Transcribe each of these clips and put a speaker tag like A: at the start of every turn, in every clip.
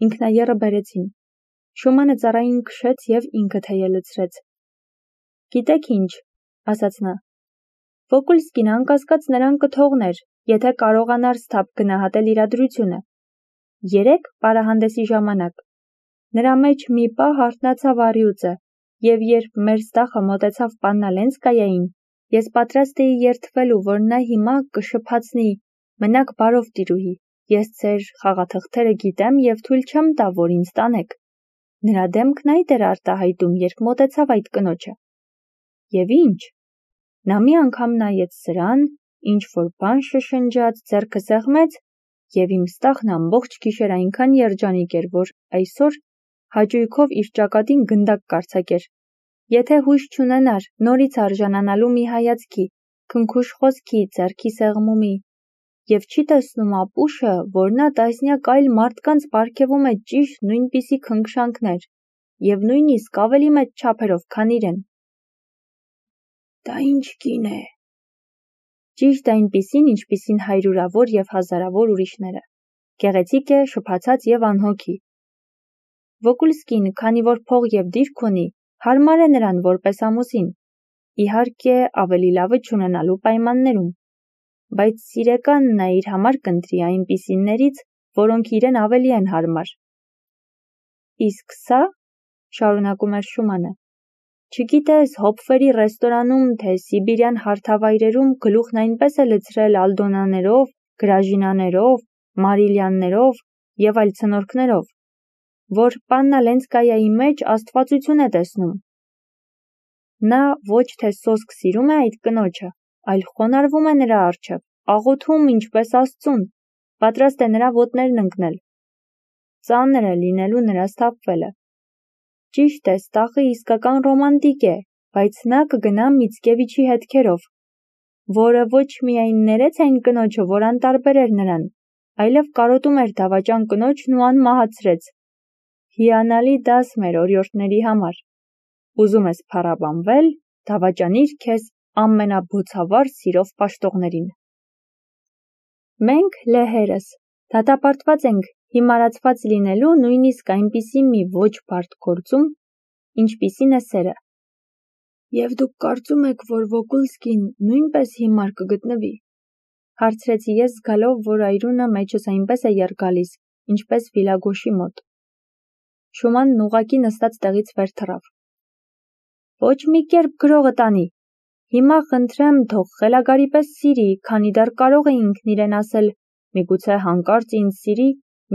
A: ինքնաեռը բերեցին։ Շումանը ծառային քշեց և ինքը թեյը լցրեց։ Գիտեք ինչ, ասաց նա, Վոկուլսկին անկասկած նրան կթողներ, եթե կարողանար սթափ գնահատել իրադրությունը։ Երեկ պարահանդեսի ժամանակ նրա մեջ մի պահ արթնացավ առյուծը, և երբ մեր ստախը մոտեցավ Պաննա Լենսկայային, ես պատրաստ էի երդվելու, որ նա հիմա կշփացնի, մնաք բարով տիրուհի, ես ձեր խաղաթղթերը գիտեմ և թույլ չեմ տա, որ ինձ տանեք։ Նրա դեմքն այդ էր արտահայտում, երբ մոտեցավ այդ կնոջը։ Եվ ինչ։ Նա մի անգամ նայեց սրան, ինչ-որ բան շշնջաց, ձեռքը սեղմեց, և իմ ստախն ամբողջ գիշեր այնքան երջանիկ էր, որ այսօր հաճույքով իր ճակատին գնդակ կարձակեր։ Եթե հույս չունենար նորից արժանանալու մի հայացքի, քնքուշ խոսքի, ձեռքի սեղմումի, և չի տեսնում ապուշը, որ նա տասնյակ այլ մարդկանց պարգևում է ճիշտ նույնպիսի քնքշանքներ, և նույնիսկ ավելի մեծ չափերով, քան իրեն։ Դա ինչ կին է։ Ճիշտ այնպիսին, ինչպիսին հարյուրավոր և հազարավոր ուրիշները։ Գեղեցիկ է, շփացած և անհոգի։ Վոկուլսկին, քանի որ փող և դիրք ունի, հարմար է նրան որպես ամուսին, իհարկե ավելի լավը չունենալու պայմաններում, բայց սիրեկան նա իր համար կընտրի այնպիսիներից, որոնք իրեն ավելի են հարմար։ Իսկ սա, շարունակում էր Շումանը, չգիտես Հոփֆերի ռեստորանում, թե Սիբիրյան հարթավայրերում գլուխն այնպես է լցրել ալդոնաներով, գրաժինաներով, մարիլյաններով և այլ ցնորքներով, որ Պաննա Լենսկայայի մեջ աստվածություն է տեսնում։ Նա ոչ թե սոսկ սիրում է այդ կնոջը, այլ խոնարհվում է նրա առջև, աղոթում ինչպես Աստծուն, պատրաստ է նրա ոտներն ընկնել։ Ծանր է լինելու նրա սթափվելը։ Ճիշտ է, ստախը իսկական ռոմանտիկ է, բայց նա կգնա Միցկևիչի հետքերով, որը ոչ միայն ներեց այն կնոջը, որ անտարբեր էր նրան, այլև կարոտում էր դավաճան կնոջն ու անմահացրեց։ Հիանալի դաս մեր օրիորդների համար։ Ուզում ես փառաբանվել, դավաճանիր քեզ ամենաբոցավառ սիրով պաշտողներին։ Մենք լեհերս դատապարտված ենք հիմարացված լինելու նույնիսկ այնպիսի մի ոչ բարդ գործում, ինչպիսին է սերը։ Եվ դուք կարծում եք, որ Վոկուլսկին նույնպես հիմար կգտնվի, հարցրեցի ես, զգալով, որ այրունը մեջս այնպես է եռ գալիս, ինչպես Վիլագոշի մոտ։ Շումանն ուղղակի նստած տեղից վեր թռավ։ Ոչ մի կերպ գրողը տանի։ Հիմա խնդրեմ, թող խելագարի պես սիրի, քանի դեռ կարող է ինքն իրեն ասել, միգուցե հանկարծ ինձ սիրի,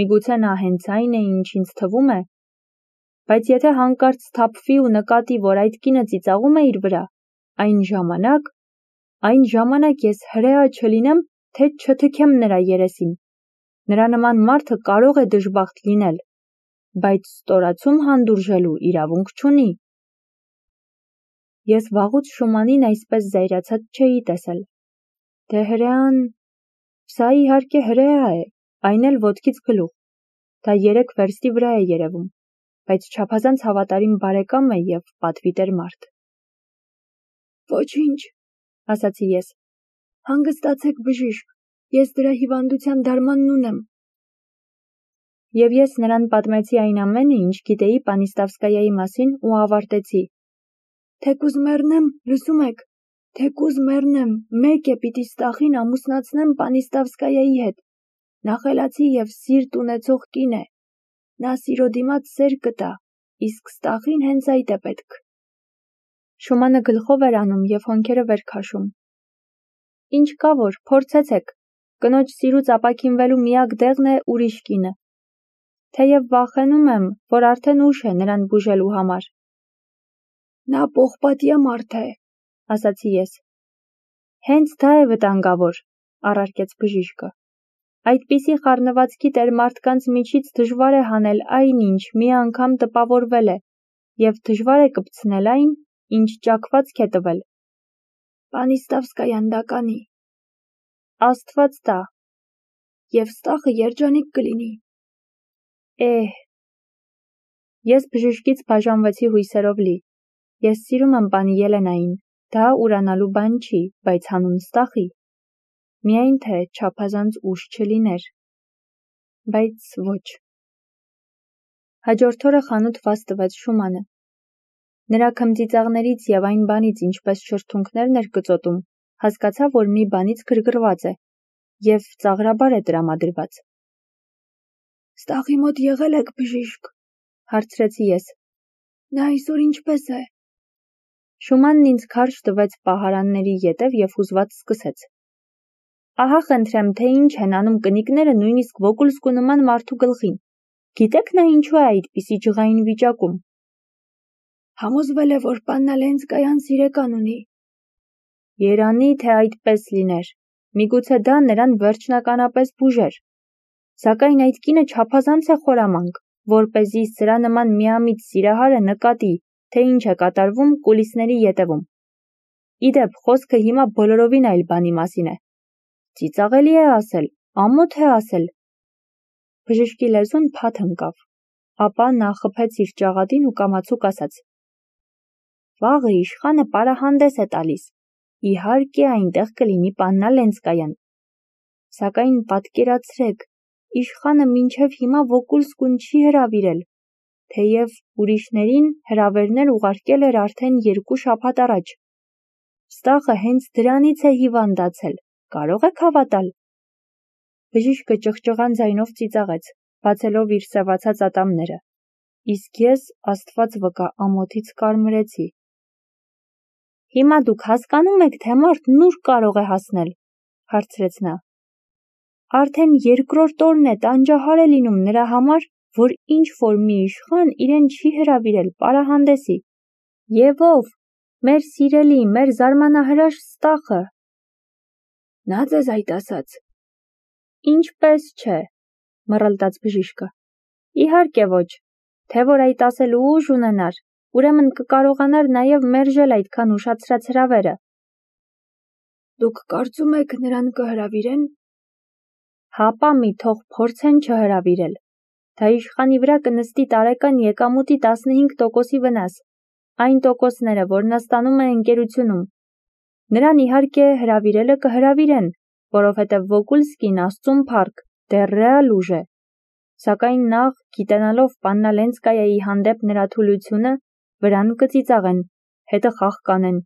A: միգուցե նա հենց այն է, ինչ ինձ թվում է, բայց եթե հանկարծ սթափվի ու նկատի, որ այդ կինը ծիծաղում է իր վրա, այն ժամանակ ես հրեա չլինեմ, թե չթքեմ նրա երեսին։ Նրա նման մարդը կարող է դժբախտ լինել, բայց ստորացում հանդուրժելու իրավունք չունի։ Ես վաղուց Շումանին այսպես զայրացած չէի տեսել։ Դե հրեան… Սա իհարկե հրեա է, այն էլ ոտքից գլուխ։ Դա 3 վերստի վրա է երևում, բայց չափազանց հավատարիմ բարեկամ է և պատվիտեր մարդ։ Ոչինչ, ասացի ես։ Հանգստացեք, բժիշկ, ես դրա հիվանդության դարմանն ունեմ։ Եվ ես նրան պատմեցի այն ամենը, ինչ գիտեի Պանիստավսկայայի մասին ու ավարտեցի. Թեկուզ մեռնեմ, լսում եք, թեկուզ մեռնեմ, մեկ է պիտի ստախին ամուսնացնեմ Պանիստավսկայայի հետ։ Նա խելացի և սիրտ ունեցող կին է։ Նա սիրո դիմաց սեր կտա, իսկ ստախին հենց այդ է պետք։ Շումանը գլխով էր անում և հոնքերը վեր քաշում։ Ինչ կա որ, փորձեցեք, կնոջ սիրուց ապաքինվելու միակ դեղն է ուրիշ կինը։ Թեև վախենում եմ, որ արդեն ուշ է նրան բուժելու համար։ Նա պողպատյա մարդ է, ասացի ես։ Հենց դա է վտանգավոր, առարկեց բժիշկը։ Այդպիսի խառնվածքի տեր մարդկանց միջից դժվար է հանել այն, ինչ մի անգամ տպավորվել է, և դժվար է կպցնել այն, ինչ ճաքվածք է տվել։ Պանիստավսկայան դա կանի։ Աստված տա։ Եվ ստախը երջանիկ կլինի։ Ես բժշկից բաժանվեցի հույսերով լի։ Ես սիրում եմ պանի Ելենային, դա ուրանալու բան չի, բայց հանուն ստախի։ Միայն թե չափազանց ուշ չլիներ։ Բայց ոչ։ Հաջորդ օրը խանութ վազ տվեց Շումանը։ Նրա քմծիծաղներից և այն բանից, ինչպես շրթունքներն էր կծոտում, հասկացավ, որ մի բանից գրգռված է և ծաղրաբար է տրամադրված։
B: Ստախի մոտ եղել եք, բժիշկ,
A: հարցրեցի ես։
B: նա այսօր ինչպես է։
A: Շումանն ինձ քարշ տվեց պահարանների ետև և հուզված սկսեց. Ահա խնդրեմ, թե ինչ են անում կնիկները նույնիսկ Վոկուլսկու նման մարդու գլխին։ Գիտեք նա ինչու է այդպիսի ջղային վիճակում։
B: Համոզվել է, որ պաննա Լենսկայան սիրեկան ունի։
A: Երանի, թե այդպես լիներ, միգուցե դա նրան վերջնականապես բուժեր։ Սակայն այդ կինը չափազանց է խորամանկ, որպեսզի սրա նման միամիտ սիրահարը նկատի, թե ինչ է կատարվում կուլիսների ետևում։ Իդեպ, խոսքը հիմա բոլորովին այլ բանի մասին է։ Ծիծաղելի է ասել, ամոթ է ասել։ Բժշկի լեզուն փաթ ընկավ, ապա նա խփեց իր ճաղատին ու կամացուկ ասաց. Վաղը իշխանը պարահանդես է տալիս։ Իհարկե այնտեղ կլինի պաննա Լենսկայան։ Սակայն պատկերացրեք, իշխանը մինչև հիմա Վոկուլսկուն չի հրավիրել, թեև ուրիշներին հրավերներ ուղարկել էր արդեն 2 շաբաթ առաջ։ Ստախը հենց դրանից է հիվանդացել, կարող եք հավատալ։ Բժիշկը ճղճղան ձայնով ծիծաղեց, բացելով իր սևացած ատամները, իսկ ես, Աստված վկա, ամոթից կարմրեցի։ Հիմա դուք հասկանում եք, թե մարդն ուր կարող է հասնել, հարցրեց նա։ Արդեն 2-րդ օրն է տանջահար է լինում նրա համար, որ ինչ-որ մի իշխան իրեն չի հրավիրել պարահանդեսի։ Եվ ով, մեր սիրելի, մեր զարմանահրաշ Ստախը։
B: Նա ձեզ այդ ասաց։
A: Ինչպես չէ, մռլտաց բժիշկը։ Իհարկե ոչ, թե որ այդ ասելու ուժ ունենար, ուրեմն կկարողանար նաև մերժել այդքան ուշացրած հրավերը։
B: Դուք կարծում եք նրան կհրավիրեն։
A: Հապա մի թող փորձեն չհրավիրել։ Դա իշխանի վրա կնստի տարեկան եկամուտի 15%-ի վնաս, այն տոկոսները, որն ստանում է ընկերությունում։ Նրան իհարկե հրավիրելը կհրավիրեն, որովհետև Վոկուլսկին Աստծուն փառք, դեռ ռեալ ուժ է։ Սակայն նախ, գիտենալով պաննա Լենսկայայի հանդեպ նրա թուլությունը, վրան կծիծաղեն, հետը խաղ կանեն,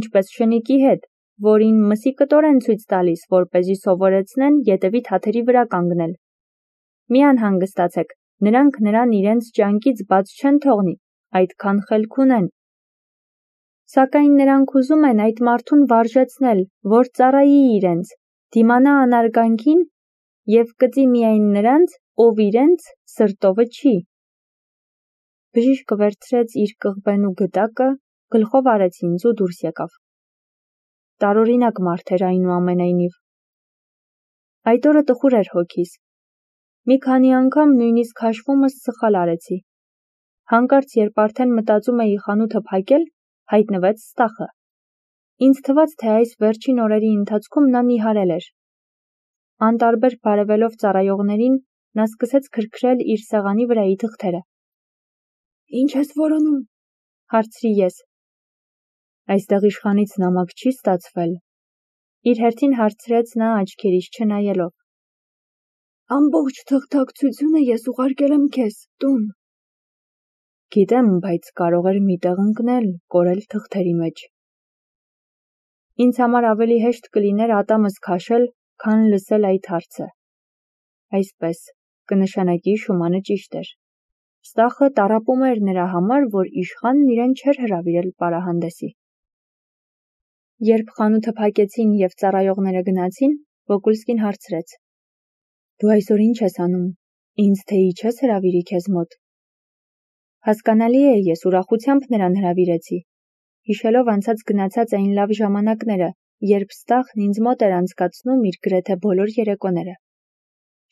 A: ինչպես շնիկի հետ, որին մսի կտոր են ցույց տալիս, որպեսզի սովորեցնեն ետևի թաթերի վրա կանգնել։ Մի անհանգստացեք, նրանք նրան իրենց ճանկից բաց չեն թողնի, այդքան խելք ունեն։ Սակայն նրանք ուզում են այդ մարդուն վարժեցնել, որ ծառայի իրենց, դիմանա անարգանքին և կծի միայն նրանց, ով իրենց սրտովը չի։ Բժիշկը վերցրեց իր կղբենու գդակը, գլխով արեց ինձ ու դուրս եկավ։ Տարօրինակ մարդ էր այնուամենայնիվ։ Այդ օրը տխուր էր հոգիս։ Մի քանի անգամ նույնիսկ հաշվումս սխալ արեցի։ Հանկարծ, երբ արդեն մտածում էի խանութը փակել, հայտնվեց Ստախը։ Ինձ թվաց, թե այս վերջին օրերի ընթացքում նա նիհարել էր։ Անտարբեր բարևելով ծառայողներին, նա սկսեց քրքրել իր սեղանի վրայի թղթերը։
B: Ինչ ես որոնում,
A: հարցրի ես։ Այստեղ իշխանից նամակ չի ստացվել։ Իր հերթին հարցրեց նա աչքերիս չնայելով։
B: Ամբողջ թղթակցությունը ես ուղարկել եմ քեզ, տուն։
A: Գիտեմ, բայց կարող էր մի տեղ ընկնել, կորել թղթերի մեջ։ Ինձ համար ավելի հեշտ կլիներ ատամս քաշել, քան լսել այդ հարցը։ Այսպես, կնշանակի Շումանը ճիշտ էր։ Ստախը տառապում էր նրա համար, որ իշխանն իրեն չէր հրավիրել պարահանդեսի։ Երբ խանութը փակեցին և ծառայողները գնացին, Վոկուլսկին հարցրեց. Դու այսօր ինչ ես անում, ինձ թեի չես հրավիրի քեզ մոտ։ Հասկանալի է, ես ուրախությամբ նրան հրավիրեցի, հիշելով անցած գնացած այն լավ ժամանակները, երբ Ստախն ինձ մոտ էր անցկացնում իր գրեթե բոլոր երեկոները։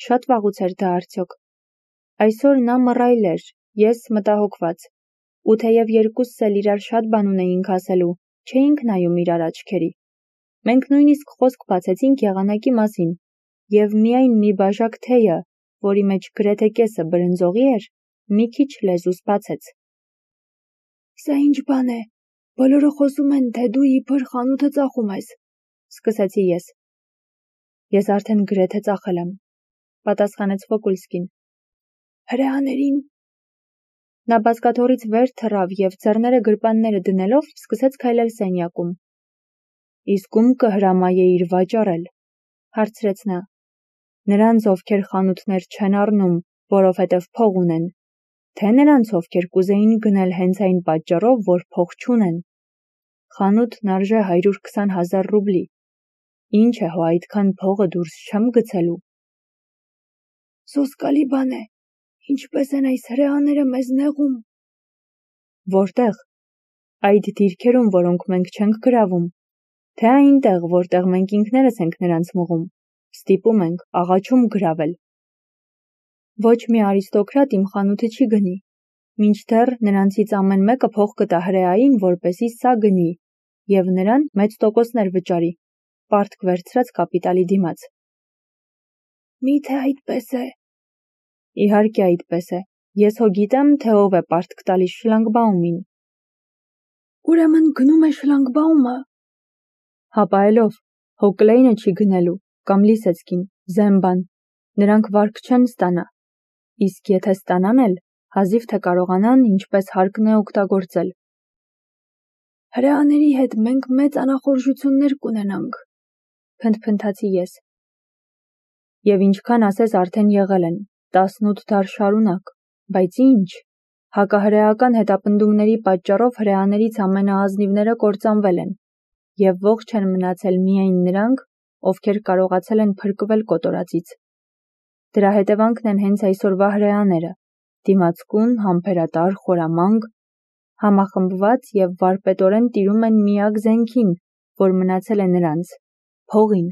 A: Շատ վաղուց էր դա արդյոք։ Այսօր նա մռայլ էր, ես մտահոգված, ու թեև երկուսս էլ իրար շատ բան ունեինք ասելու, չէինք նայում իրար աչքերի։ Մենք նույնիսկ խոսք բացեցինք եղանակի մասին, և միայն մի բաժակ թեյը, որի մեջ գրեթե կեսը բրնձողի էր, մի քիչ լեզուս բացեց։
B: Սա ինչ բան է, բոլորը խոսում են, թե դու իբր խանութը ծախում ես,
A: սկսեցի ես։ Ես արդեն գրեթե ծախել եմ, պատասխանեց Վոկուլսկին։
B: Հրեաներին
A: Նա բազկաթոռից վեր թռավ և ձեռները գրպանները դնելով սկսեց քայլել սենյակում։ Իսկ ում կհրամայեիր վաճառել, հարցրեց նա։ Նրանց, ովքեր խանութներ չեն առնում, որովհետև փող ունեն, թե նրանց, ովքեր կուզեին գնել հենց այն պատճառով, որ փող չունեն։ Խանութն արժե 120,000 ռուբլի։ Ինչ է հո այդքան փողը դուրս չեմ գցելու։
B: Սոսկալի բան է, ինչպես են այս հրեաները մեզ նեղում։
A: Որտեղ։ Այդ դիրքերում, որոնք մենք չենք գրավում, թե այնտեղ, որտեղ մենք ինքներս ենք նրանց մղում, ստիպում ենք, աղաչում գրավել։ Ոչ մի արիստոկրատ իմ խանութը չի գնի, մինչդեռ նրանցից ամեն մեկը փող կտա հրեային, որպեսզի սա գնի, և նրան մեծ տոկոսներ վճարի, պարտք վերցրած կապիտալի դիմաց։
B: Միթե այդպես է։
A: Իհարկե այդպես է։ Ես հո գիտեմ, թե ով է պարտք տալիս շլանգբաումին։
B: Ուրեմն գնում է շլանգբաումը։
A: Հապայելով, հո Կլեյնը չի գնելու, կամ Լիսեցկին, Զեմբան, նրանք վարկ չեն ստանա։ Իսկ եթե ստանան էլ, հազիվ թե կարողանան, ինչպես հարկն է օգտագործել։
B: Հրեաների հետ մենք մեծ անախորժություններ կունենանք,
A: փնթփնթացի ես։ Եվ ինչքան ասես արդեն եղել են, 18 դար շարունակ, բայց ինչ, հակահրեական հետապնդումների պատճառով հրեաներից ամենաազնիվները կործանվել են, և ողջ են մնացել միայն նրանք, ովքեր կարողացել են փրկվել կոտորածից։ Դրա հետևանքն են հենց այսօրվա հրեաները, դիմացկուն, համբերատար, խորամանկ, համախմբված և վարպետորեն տիրում են միակ զենքին, որ մնացել է նրանց, փողին։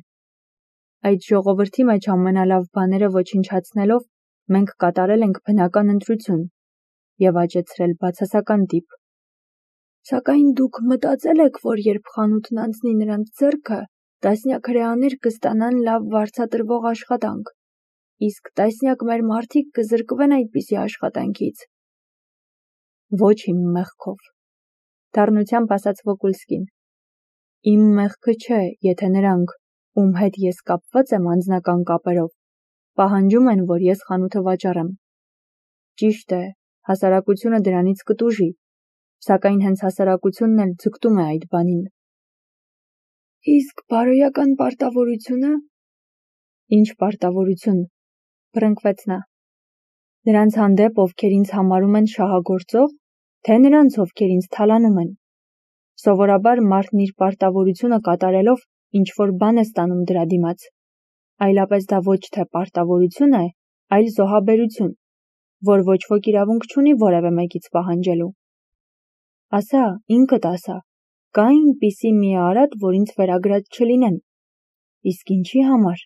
A: Այդ ժողովրդի մեջ ամենալավ բաները ոչնչացնելով, մենք կատարել ենք բնական ընտրություն և աճեցրել բացասական տիպ։
B: Սակայն դուք մտածել եք, որ երբ խանութն անցնի նրանց ձեռքը, տասնյակ հրեաներ կստանան լավ վարձատրվող աշխատանք, իսկ տասնյակ մեր մարդիկ կզրկվեն այդպիսի աշխատանքից։
A: Ոչ իմ մեղքով, դառնությամբ ասաց Վոկուլսկին։ Իմ մեղքը չէ, եթե նրանք, ում հետ ես կապված եմ անձնական կապերով, պահանջում են, որ ես խանութը վաճառեմ։ Ճիշտ է, հասարակությունը դրանից կտուժի, սակայն հենց հասարակությունն էլ ձգտում է այդ բանին։
B: Իսկ բարոյական պարտավորությունը։
A: Ինչ պարտավորություն, բռնկվեց նա։ Նրանց հանդեպ, ովքեր ինձ համարում են շահագործող, թե նրանց, ովքեր ինձ թալանում են։ Սովորաբար մարդն իր պարտավորությունը կատարելով ինչ-որ բան է ստանում դրա դիմաց։ Այլապես դա ոչ թե պարտավորություն է, այլ զոհաբերություն, որ ոչ ոք իրավունք չունի որևէ մեկից պահանջելու։ Ասա, ինքդ ասա, կա այնպիսի մի արատ, որ ինձ վերագրած չլինեն։ Իսկ ինչի համար։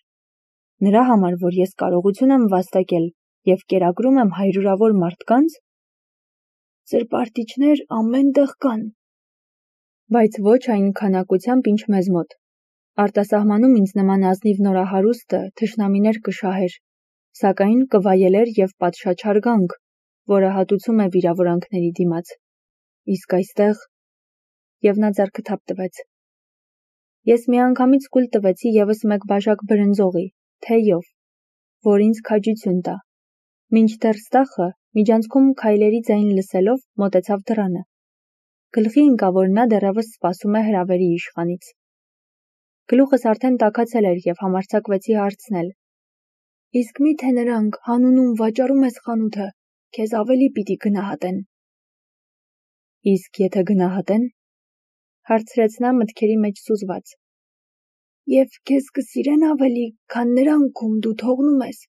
A: Նրա համար, որ ես կարողություն եմ վաստակել և կերակրում եմ հարյուրավոր մարդկանց։
B: Սրբարտիչներ ամեն տեղ կան։
A: Բայց ոչ այն քանակությամբ, ինչ մեզ մոտ։ Արտասահմանում ինձ նման ազնիվ նորահարուստը թշնամիներ կշահեր, սակայն կվայելեր և պատշաճ հարգանք, որը հատուցում է վիրավորանքների դիմաց։ Իսկ այստեղ… Եվ նա ձեռքը թափ տվեց։ Ես միանգամից կուլ տվեցի ևս մեկ բաժակ բրնձողի, թեյով, որ ինձ քաջություն տա։ Մինչդեռ Ստախը, միջանցքում քայլերի ձայն լսելով, մոտեցավ դռանը։ Գլխի ընկա, որ նա դեռևս սպասում է հրավերի իշխանից։ Գլուխս արդեն տաքացել էր և համարձակվեցի հարցնել.
B: Իսկ միթե նրանք, հանունում վաճառում ես խանութը, քեզ ավելի պիտի գնահատեն։
A: Իսկ եթե գնահատեն, հարցրեց նա մտքերի մեջ սուզված։
B: Եվ քեզ կսիրեն ավելի, քան նրանք, ում դու թողնում ես։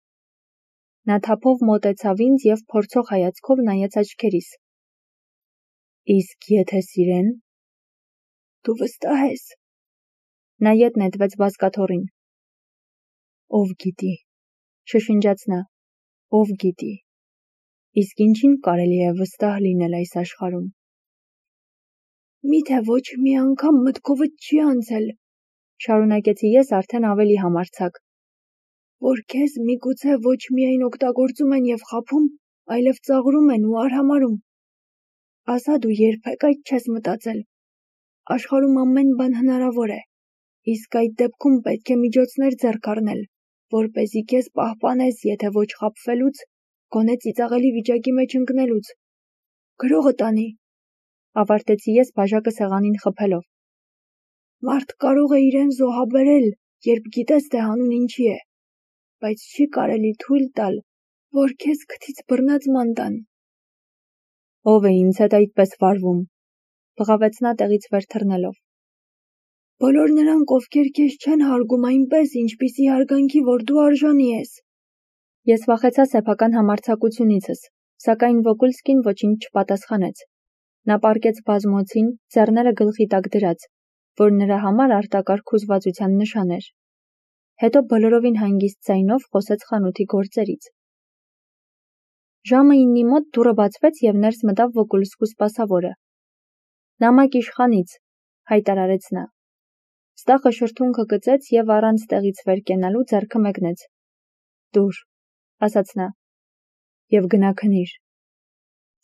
A: Նա թափով մոտեցավ ինձ և փորձող հայացքով նայեց աչքերիս։ Իսկ եթե սիրեն։
B: Դու վստահ ես։
A: Նա ետ նետվեց բազկաթոռին։ Ով գիտի, շշնջաց նա, ով գիտի։ Իսկ ինչին կարելի է վստահ լինել այս աշխարհում։
B: Միթե ոչ մի անգամ մտքովդ չի անցել,
A: շարունակեցի ես արդեն ավելի համարձակ,
B: որ քեզ միգուցե ոչ միայն օգտագործում են և խաբում, այլև ծաղրում են ու արհամարհում։ Ասա դու երբեք այդ չես մտածել։ Աշխարհում ամեն բան հնարավոր է, իսկ այդ դեպքում պետք է միջոցներ ձեռք առնել, որպեսզի քեզ պահպանես, եթե ոչ խաբվելուց, գոնե ծիծաղելի վիճակի մեջ ընկնելուց։ Գրողը տանի,
A: ավարտեցի ես բաժակը սեղանին խփելով։
B: մարդ կարող է իրեն զոհաբերել, երբ գիտես, թե հանուն ինչի է, բայց չի կարելի թույլ տալ, որ քեզ քթից բռնած ման տան։
A: Ով է ինձ հետ այդպես վարվում, բղավեց նա տեղից վեր թռնելով։
B: Բոլոր նրանք, ովքեր քեզ չեն հարգում այնպես, ինչպիսի հարգանքի, որ դու արժանի ես։
A: Ես վախեցա սեփական համարձակությունիցս, սակայն Վոկուլսկին ոչինչ չպատասխանեց։ Նա պառկեց բազմոցին, ձեռները գլխի տակ դրած, որ նրա համար արտակարգ հուզվածության նշան էր։ Հետո բոլորովին հանգիստ ձայնով խոսեց խանութի գործերից։ Ժամը 9-ի մոտ դուռը բացվեց և ներս մտավ Վոկուլսկու սպասավորը։ Նամակ իշխանից, հայտարարեց նա։ Ստախը շրթունքը գծեց և առանց տեղից վեր կենալու ձեռքը մեկնեց։ Դուր, ասաց նա, և գնա քնիր։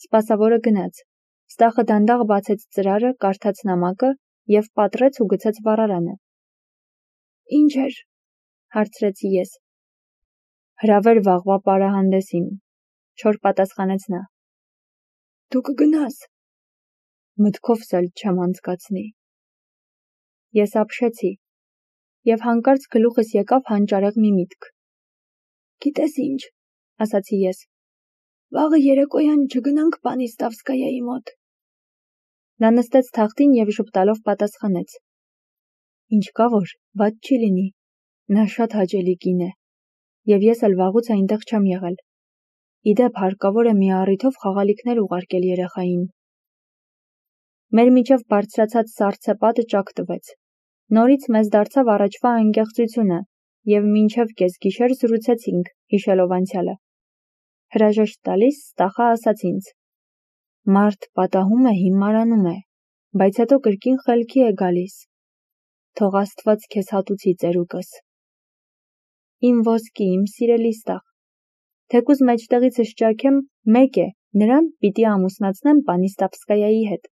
A: Սպասավորը գնաց։ Ստախը դանդաղ բացեց ծրարը, կարդաց նամակը և պատռեց ու գցեց վառարանը։
B: Ինչ էր,
A: հարցրեցի ես։ Հրավեր վաղվա պարահանդեսին, չոր պատասխանեց նա։
B: Դու կգնաս։
A: Մտքովս էլ չեմ անցկացնի։ Ես ապշեցի, և հանկարծ գլուխս եկավ հանճարեղ մի միտք։
B: Գիտես ինչ,
A: ասացի ես։
B: Վաղը երեկոյան չգնանք Պանիստավսկայայի մոտ։
A: Նա նստեց թախտին և ժպտալով պատասխանեց. Ինչ կա որ, վատ չի լինի, նա շատ հաճելի կին է, և ես էլ վաղուց այնտեղ չեմ եղել։ Իդեպ հարկավոր է մի առիթով խաղալիքներ ուղարկել երեխային։ Մեր միջև բարձրացած սառցեպատը ճաք տվեց։ Նորից մեզ դարձավ առաջվա անկեղծությունը, և մինչև կեսգիշեր զրուցեցինք, հիշելով անցյալը։ Հրաժեշտ տալիս Ստախը ասաց ինձ. Մարդ պատահում է, հիմարանում է, բայց հետո կրկին խելքի է գալիս։ Թող Աստված քեզ հատուցի ծերուկս։ Իմ ոսկի, իմ սիրելի Ստախ, թեկուզ մեջտեղիցս ճաքեմ, մեկ է, նրան պիտի ամուսնացնեմ Պանիստավսկայայի հետ։